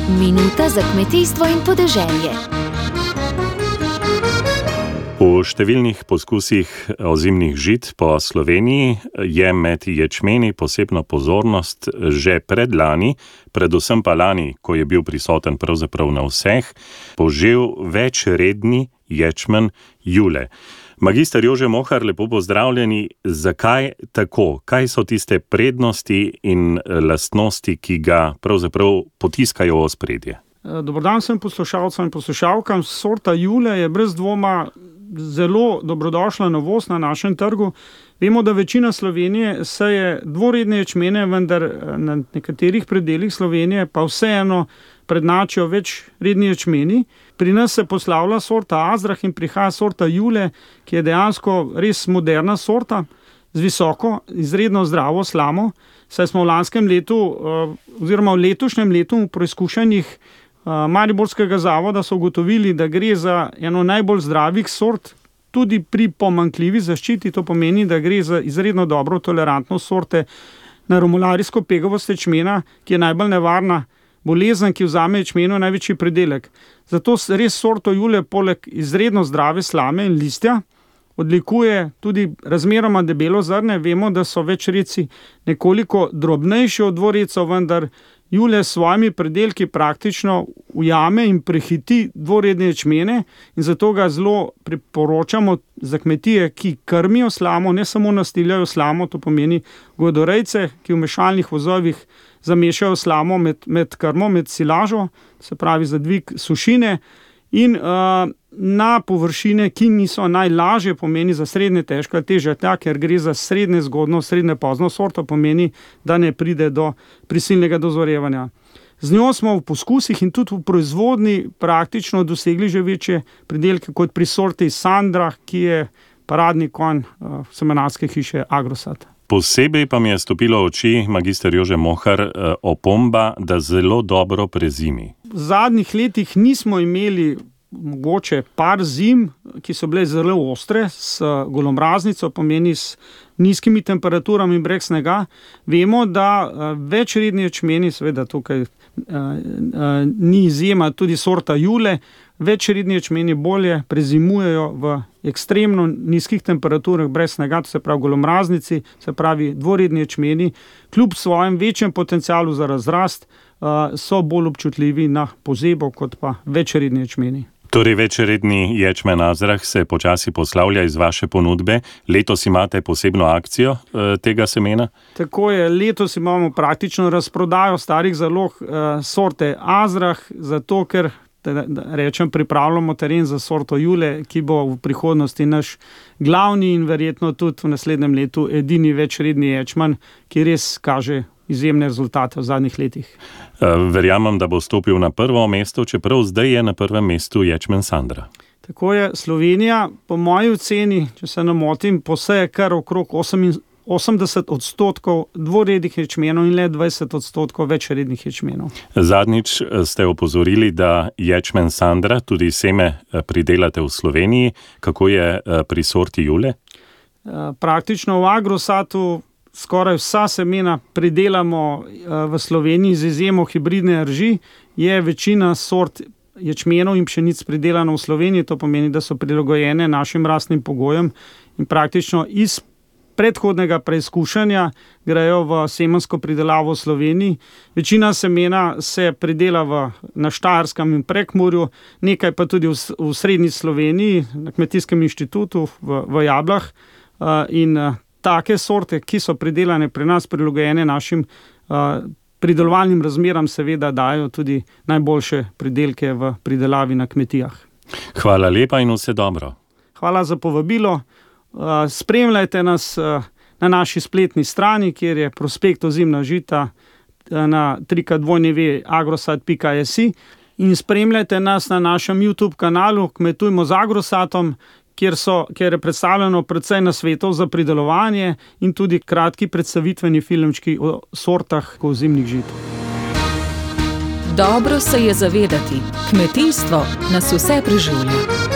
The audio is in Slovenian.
Minuta za kmetijstvo in podeželje. V številnih poskusih ozimnih žit po Sloveniji je med ječmeni posebno pozornost že predlani, predvsem pa lani, ko je bil prisoten pravzaprav na vseh, požel večredni ječmen Jule. Magister Jože Mohar, lepo pozdravljeni. Zakaj tako? Kaj so tiste prednosti in lastnosti, ki ga pravzaprav potiskajo v ospredje? Dober dan vsem poslušalcem in poslušalkam. Sorta Jule je brez dvoma zelo dobrodošla novost na našem trgu. Vemo, da večina Slovenije seje dvoredne ječmene, vendar na nekaterih predelih Slovenije pa vseeno prednjačijo večredni ječmeni. Pri nas se poslavlja sorta Azrah in prihaja sorta Jule, ki je dejansko res moderna sorta z visoko, izredno zdravo slamo. Saj smo v lanskem letu oziroma v letošnjem letu v preizkušanjih Mariborskega zavoda so ugotovili, da gre za eno najbolj zdravih sort, tudi pri pomanjkljivi zaščiti. To pomeni, da gre za izredno dobro tolerantnost sorte na romularijsko pegavost ječmena, ki je najbolj nevarna bolezen, ki vzame ječmenu največji pridelek. Zato res sorto Jule poleg izredno zdrave slame in listja odlikuje tudi razmeroma debelo zrne. Vemo, da so večredci nekoliko drobnejši od dvoredcev, vendar Jule s svojimi pridelki praktično ujame in prehiti dvoredne ječmene in zato ga zelo priporočamo za kmetije, ki krmijo slamo, ne samo nastiljajo slamo, to pomeni godorejce, ki v mešalnih vozovih zamešajo slamo med krmo, med silažo, se pravi za dvig sušine, in na površine, ki niso najlažje, pomeni za srednje težko ali težje tla, ker gre za srednje zgodno, srednje pozno sorto, pomeni, da ne pride do prisilnega dozorevanja. Z njo smo v poskusih in tudi v proizvodni praktično dosegli že večje pridelke kot pri sorti Sandra, ki je paradni konj semenarske hiše Agrosat. Posebej pa mi je stopilo v oči, magister Jože Mohar, opomba, da zelo dobro prezimi. V zadnjih letih nismo imeli mogoče par zim, ki so bile zelo ostre, s golomraznico, pomeni s nizkimi temperaturami in brez snega. Vemo, da večredni ječmeni, seveda tukaj ni izjema, tudi sorta Jule, večredni ječmeni bolje prezimujejo v ekstremno nizkih temperaturah brez snega, to se pravi golomraznici, se pravi dvoredni ječmeni, kljub svojem večjem potencialu za razrast, so bolj občutljivi na pozebo kot pa večredni ječmeni. Torej večredni ječmen Azrah se počasi poslavlja iz vaše ponudbe. Letos imate posebno akcijo tega semena? Tako je, letos imamo praktično razprodajo starih zalog sorte Azrah, zato ker pripravljamo teren za sorto Jule, ki bo v prihodnosti naš glavni in verjetno tudi v naslednjem letu edini večredni ječmen, ki res kaže izjemne rezultate v zadnjih letih. Verjamem, da bo stopil na prvo mesto, čeprav zdaj je na prvem mestu ječmen Sandra. Tako je, Slovenija, po moji oceni, če se ne motim, poseje kar okrog 80% dvorednih ječmenov in le 20% večrednih ječmenov. Zadnjič ste opozorili, da ječmen Sandra, tudi seme, pridelate v Sloveniji. Kako je pri sorti Jule? Praktično v Agrosatu skoraj vsa semena pridelamo v Sloveniji, z izjemo hibridne rži. Je večina sort ječmenov in pšenic pridelano v Sloveniji, to pomeni, da so prilagojene našim rastnim pogojem in praktično iz predhodnega preizkušanja grejo v semensko pridelavo v Sloveniji. Večina semena se pridela na Štajerskem in Prekmurju, nekaj pa tudi v srednji Sloveniji, na Kmetijskem inštitutu v Jablah, in take sorte, ki so pridelane pri nas, prilagojene našim pridelovalnim razmeram, seveda dajo tudi najboljše pridelke v pridelavi na kmetijah. Hvala lepa in vse dobro. Hvala za povabilo. Spremljajte nas na naši spletni strani, kjer je prospekt ozimna žita na www.agrosat.si, in spremljajte nas na našem YouTube kanalu Kmetujmo z Agrosatom, kjer je predstavljeno precej nasvetov za pridelovanje in tudi kratki predstavitveni filmčki o sortah ozimnih žit. Dobro se je zavedati, kmetijstvo nas vse preživlja.